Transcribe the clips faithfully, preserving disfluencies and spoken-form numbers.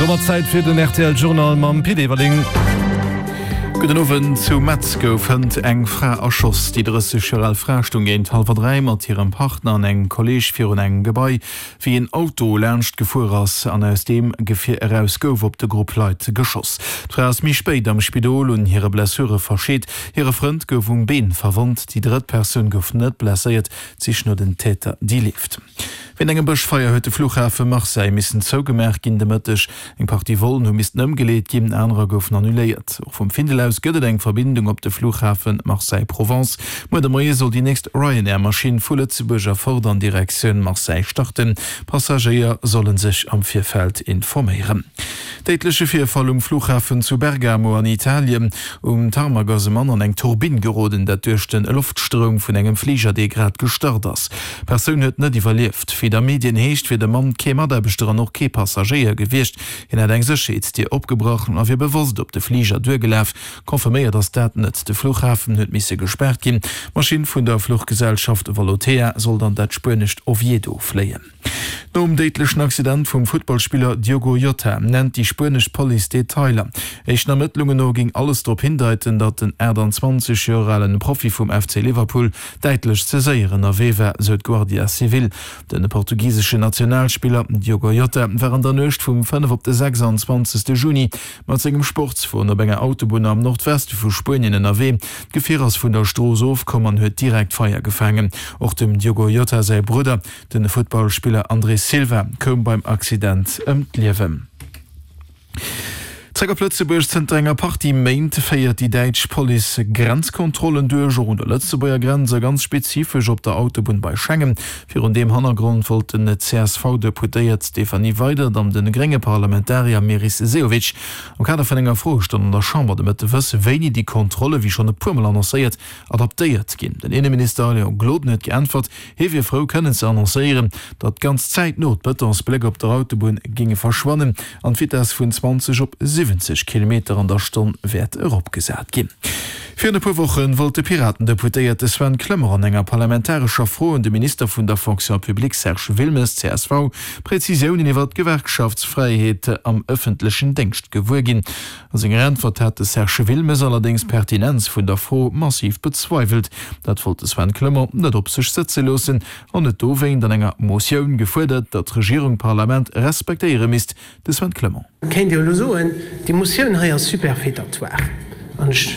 Domat Zäit fir den R T L Journal mam Pit Everling. Gudden Owend. Zu Metz gouf hënt eng Fra erschoss. Déi drësseg Joer al Fra stoung géint hallwer dräi mat hirem Partner an engem Kolleeg virun engem Gebai, wéi en Auto laanscht gefuer ass an aus deem Gefier eraus gouf op de Grupp Leit geschoss. D'Fra ass méi spéit am Spidol un hire Blessure verscheet. Hire Frënd gouf um Been verwonnt. Déi drëtt Persoun gouf net blesséiert. D'Sich no den Täter, déi leeft. Wéint engem Bëschfeier huet de Flughafe Marseille missen zougemaach ginn de Mëtteg. Eng Partie Vollen hu missten ëmgeleet ginn, anerer goufen annuléiert. Och vum Findel aus gëtt et eng Verbindung op de Flughafe Marseille-Provence. Muer de Moie soll déi nächst Ryanair-Maschinn vu Lëtzebuerg erfort an Direktioun Marseille starten. Passagéier solle sech am Virfeld informéieren. Déidleche Virfall um Flughafen zu Bergamo an Italien. Um Tarmac ass e Mann an eng Turbinn geroden, dat duerch de Loftstroum vun engem Fliger, dee grad gestart ass. D'Persoun huet net iwwerlieft. Wéi et a Medien heescht, wier de Mann kee Mataarbechter an och kee Passagéier gewiescht. Hien hätt eng Sécherheetsdier opgebrach a wier bewosst op de Fliger duergelaf. Confirméiert ass dat net. De Flughafen huet misse gespaart ginn. D'Maschinn vun der Fluchgesellschaft Volotea sollt an dat spuenescht Oviedo fléien. Nom déidlechen Accident vum Futtballspiller Diogo Jota nennt déi spuenesch Police Detailer. Éischten Ermëttlungen no géing alles drop hindeiten, datt den achttanzwanzeg Joer alen Profi vum F C Liverpool däitlech ze séier ënnerwee war, sou d'Guardia Civil. De portugiseschen Nationalspiller Diogo Jota war an der Nuecht vum fënnef op de sechsanzwanzegste Juni mat sengem Sportswon op enger Autobunn am Nordweste vu Spuenien ënnerwee. D'Gefier ass vun der Strooss ofkomm an huet direkt Feier gefaangen. Och dem Diogo Jota säi Brudder, de Futtballspiller André Silva, koum beim Accident ëm d'Liewen. Zréck op Lëtzebuerg. Zënter enger Partie Méint féiert déi däitsch Police Grenzkontrollen duerch, och un der Lëtzebuerger Grenz a ganz spezifesch op der Autobunn bei Schengen. Virun deem Hannergrond wollt den C S V-Deputéiert Stéphanie Weydert an de grénge Parlamentarier Meris Sehovic am Kader vun enger Froestonn an der Chamber de Mëtte wësse wéini déi Kontrolle, wéi schonn e puer Mol annoncéiert, adaptéiert ginn. Den Inneminister Léon Gloden huet geäntwert, hie wier frou kënnen ze annoncéieren, datt ganz zäitno d'Bëtonsbléck op der Autobunn géinge verschwannen an d'Vitess vun zwanzeg op siwwenzeg Kilometer an der Stonn wäert eropgesat ginn. Virun e puer Woche wollt de Piraten-Deputéierte Sven Clement an enger parlamentarescher Fro un de Minister vun der Fonction publique Serge Wilmes, C S V, Prezisiounen iwwer d'Gewerkschaftsfräiheet am ëffentlechen Déngscht gewuer ginn. A senger Äntwert hat de Serge Wilmes allerdéngs d'Pertinenz vun der Fro massiv bezweiwelt. Dat wollt de Sven Clement net op sech sëtze loossen an huet dowéint an enger Motioun gefuerdert, datt d'Regierung d'Parlament respektéiere misst. De Sven Clement. Kéint Dir elo soen, déi Motioun hei ass superfétatoire. An ech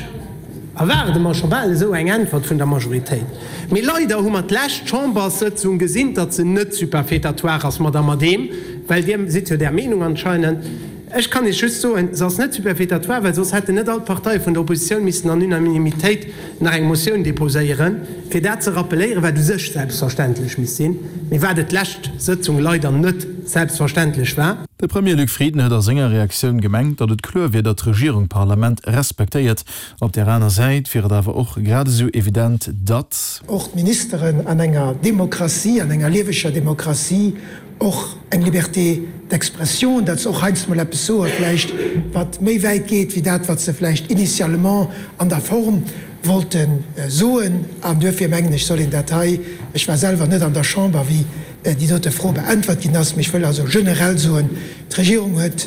erwaarde mer scho bal esou eng Äntwert vun der Majoritéit. Mee leider hu mer d'lescht Chamberssëtzung gesinn, datt se net superfétatoire ass, Madame Adehm, well Dir sidd jo där Meenung anscheinend. Ech kann Iech just soen, se ass net superfétatoire, well soss hätten net all d'Parteie vun der Oppositioun missen an Unanimitéit nach eng Motioun déposéieren, fir dat ze rappeléieren, wat u sech selbstverständlech misst sinn, mee wat et d'lescht Sëtzung leider net selbstverständlech war. De Premier Luc Frieden huet a senger Reaktioun gemengt, datt et kloer wier, datt d'Regierung d'Parlament respektéiert. Op där aner Säit wier et awer och grad esou evident, datt. Och d'Ministeren an enger Demokratie, an enger lieweger Demokratie och eng Liberté d'expression, datt se och heiansdo mol eppes soe vläicht, wat méi wäit geet wéi dat, wat se vläicht initialement an der Form wollte soen. An duerfir mengen ech, soll een dat hei, ech war selwer net an der Chamber, wéi déi dote Fro beäntwert ginn ass, mee ech wëll also generell soen, d'Regierung huet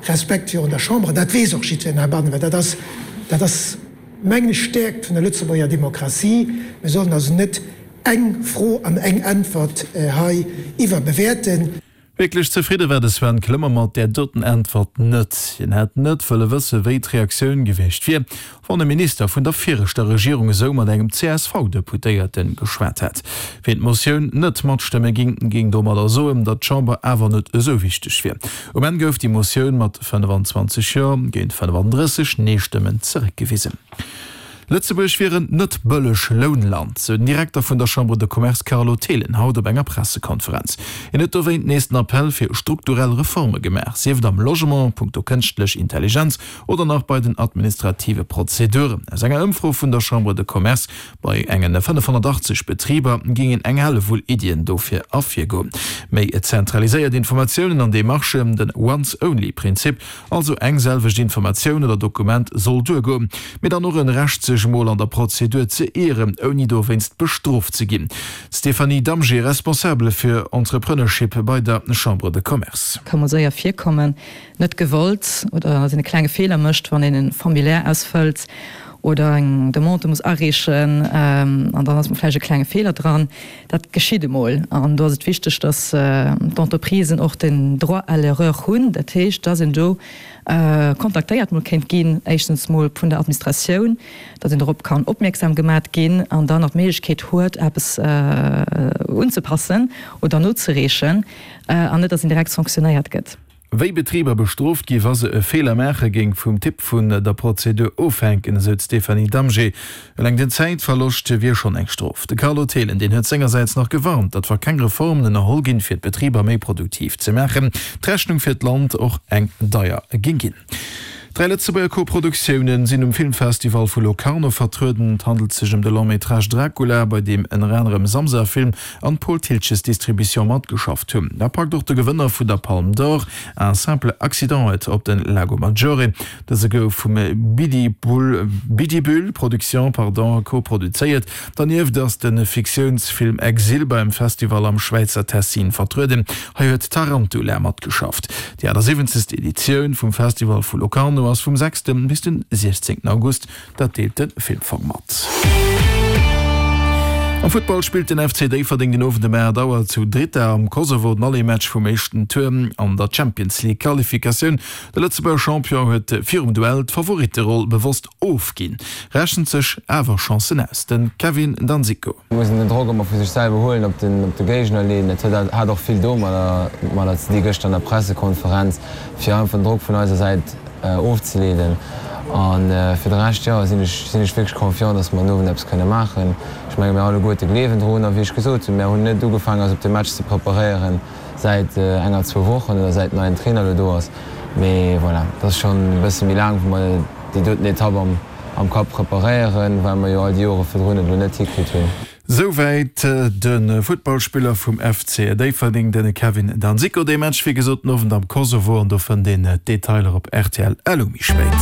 Respekt virun der Chamber, an dat weess och jiddwereen heibannen, well dat ass, dat ass mengen ech, d'Stäerkt vun der Lëtzebuerger Demokratie. Mir sollen also net eng Fro an eng Äntwert hei iwwerbewäerten. Wierklech zefridde war de Sven Clement mat där doten Äntwert net. Hien hätt net wëlle wësse wéi d'Reaktioun gewiescht wier, wann e Minister vun der viregter Regierung esou mat engem C S V-Deputéierte geschwat hätt. Wien d'Motioun net matstëmme géing, géing domadder soen, datt d'Chamber awer net esou wichteg wier. Um Enn gouf déi Motioun mat fënnfanzwanzeg Jo géint fënnefandrësseg Nee-Stëmmen zeréckgewisen. Lëtzebuerg wier en net bëlleg Lounland, sou den Direkter vun der Chambre de Commerce Carlo Thelen haut op enger Pressekonferenz. Hien huet dowéint nees den Appell fir strukturell Reforme gemaach, sief et am Logement, punkto kënschtlech Intelligenz oder nach bei den administrative Prozeduren. Aus enger Ëmfro vun der Chambre de Commerce bei engen fënnefhonnertachtzeg Betriber géingen eng Hellewull Iddien dofir ervirgoen. Méi zentraliséiert Informatiounen an Demarchen, den Once-Only-Prinzip, also eng selwecht Informatioun oder Dokument soll duergoen, mee dann och en sech emol an der Prozedur ze ieren, ouni dowéinst bestrooft ze ginn. D'Stéphanie Damgé, Responsabel fir Entrepreneurship bei der Chambre de Commerce. Ka mol séier virkommen, net gewollt, oder datt een e klenge Feeler mécht, wann een e Formulaire ausfëllt oder eng Demande muss areechen an dann ass mol vläicht e klenge Feeler dran. Dat geschitt emol an do ass et wichteg, datt d'Entreprisen och den Droit à l'erreur hunn, dat heescht, datt een do kontaktéiert mol kéint ginn, éischtens mol vun der Administratioun, datt een dorop kann opmierksam gemat ginn an dann och d'Méiglechkeet huet, eppes unzepassen oder nozereechen an net, datt een direkt sanctionéiert gëtt. Wéi Betriber bestrooft gi wa se e Feeler maache géing vum Typ vun der Prozedur ofhänken, esou d'Stéphanie Damgé. Eleng den Zäitverloscht wier schonn eng Strof. De Carlo Thelen, deen huet sengersäits nach gewarnt, datt wa keng Reformen ënnerholl ginn, fir d'Betriber méi produktiv ze maachen, d'Rechnung fir d'Land och eng deier géing ginn. Dräi Lëtzebuerger Koproduktioune sinn um Filmfestival vu Locarno vertrueden. Et handelt sech ëm de Long-métrage Dracula, bei deem ënner anerem Samsa Film an d'Paul Thiltges Distribution matgeschafft hunn. Da packt och de Gewënner vun der Palme d'Or, Un simple accident, et op de Lago Maggiore. Dëse gouf vum Bidibul Production, pardon, koproduzéiert. Dernieft ass de Fiktiounsfilm Exil beim Festival am Schwäizer Tessin vertrueden. Hei huet Tarantula matgeschafft. Déi achtasiwwenzegst Editioun vum Festival vu Locarno ass vum sechste bis den siechzéngten August, dat deelt de Filmfong mat. Am Futtball spillt den F C Déifferdeng den Owend ëm aacht Auer zu Drita am Kosovo den Aller-Match vum éischten Tour an der Champions League Qualifikatioun. De Lëtzebuerger Champion huet virum Duell d'Favoritteroll bewosst ofginn, rechent sech awer Chancen aus. De Kevin Danzico. Et muss een den Drock ëmmer vu sech selwer huelen, op den op de Géigner leeën. Dat hat och vill domadder ze di gëschter an der Pressekonferenz, fir einfach den Drock vun eiser Säit ofzeleeden. A fir de Rescht, jo, sinn ech sinn ech wierklech confiant, datt mer den Owend eppes kënne maachen. Ech menge mir alleguerte gleewen drun. A wéi ech gesot hunn, mir hunn net ugefaangen eis op de Match ze preparéieren säit enger, zwou Wochen oder säit den neien Trainer elo do ass. Mee voilà, et ass schonn e bësse méi laang, wou mer déi doten Etapp am am Kapp preparéieren, well mer jo all déi Jore virdrun et elo net hikritt hunn. Souwäit de Futtballspiller vum F C Déifferdeng, de Kevin Danzico. Dee Match wéi gesot den Owend am Kosovo an do fënnt een d'Detailer op rtl elo méi spéit.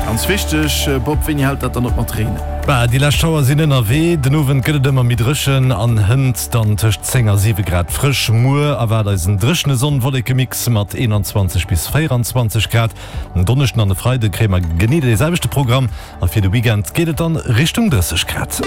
Ganz wichteg, Bob, wéini hält dat dann op mat reenen? Bah, déi lescht Schauer sinn ënnerwee. Den Owend gëtt et ëmmer méi dréchen an hënt dann tëscht zéng a siwe Grad frësch. Muer erwaart eis en dréchene Sonn-Wolleke-Mix mat eenanzwanzeg bis véieranzwanzeg Grad. En Donneschden an e Freide kréie mer genee dee selwechte Programm a fir de Weekend geet et dann Richtung drësseg Grad.